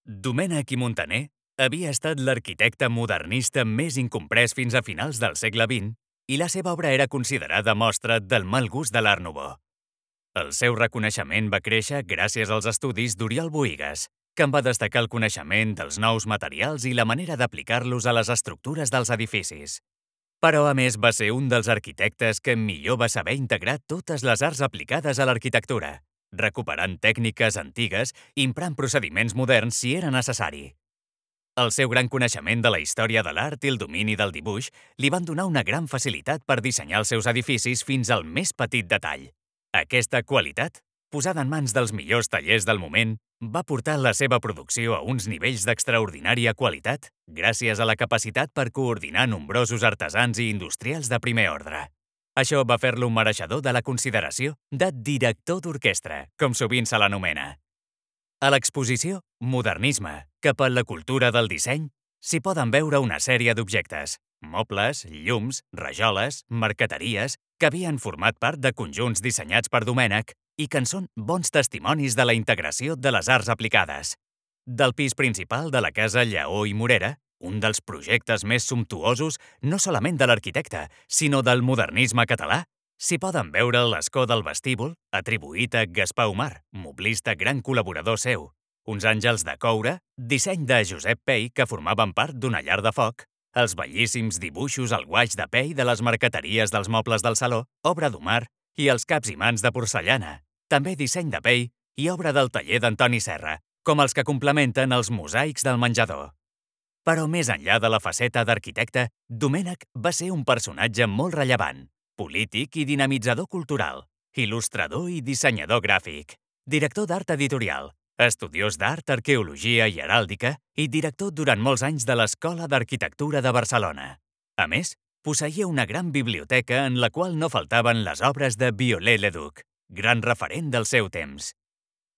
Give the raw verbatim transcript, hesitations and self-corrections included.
Domènec i Muntaner havia estat l'arquitecte modernista més incomprès fins a finals del segle vint i la seva obra era considerada mostra del mal gust de l'Art Nouveau. El seu reconeixement va créixer gràcies als estudis d'Oriol Bohigas, que en va destacar el coneixement dels nous materials i la manera d'aplicar-los a les estructures dels edificis. Però, a més, va ser un dels arquitectes que millor va saber integrar totes les arts aplicades a l'arquitectura, recuperant tècniques antigues i emprant procediments moderns si era necessari. El seu gran coneixement de la història de l'art i el domini del dibuix li van donar una gran facilitat per dissenyar els seus edificis fins al més petit detall. Aquesta qualitat, posada en mans dels millors tallers del moment, va portar la seva producció a uns nivells d'extraordinària qualitat gràcies a la capacitat per coordinar nombrosos artesans i industrials de primer ordre. Això va fer-lo un mereixedor de la consideració de director d'orquestra, com sovint se l'anomena. A l'exposició Modernisme, cap a la cultura del disseny, s'hi poden veure una sèrie d'objectes, mobles, llums, rajoles, marqueteries, que havien format part de conjunts dissenyats per Domènec i que en són bons testimonis de la integració de les arts aplicades. Del pis principal de la casa Lleó i Morera, un dels projectes més sumptuosos no solament de l'arquitecte, sinó del modernisme català, s'hi poden veure l'escó del vestíbul, atribuït a Gaspar Umar, moblista gran col·laborador seu, uns àngels de coure, disseny de Josep Pey que formaven part d'una llar de foc, els bellíssims dibuixos al guaix de Pey de les marqueteries dels mobles del saló, obra d'Umar, i els caps i mans de porcellana, també disseny de Pey i obra del taller d'Antoni Serra, com els que complementen els mosaics del menjador. Però més enllà de la faceta d'arquitecte, Domènec va ser un personatge molt rellevant, polític i dinamitzador cultural, il·lustrador i dissenyador gràfic, director d'art editorial, estudiós d'art, arqueologia i heràldica i director durant molts anys de l'Escola d'Arquitectura de Barcelona. A més, posseïa una gran biblioteca en la qual no faltaven les obres de Viollet-le-Duc, gran referent del seu temps.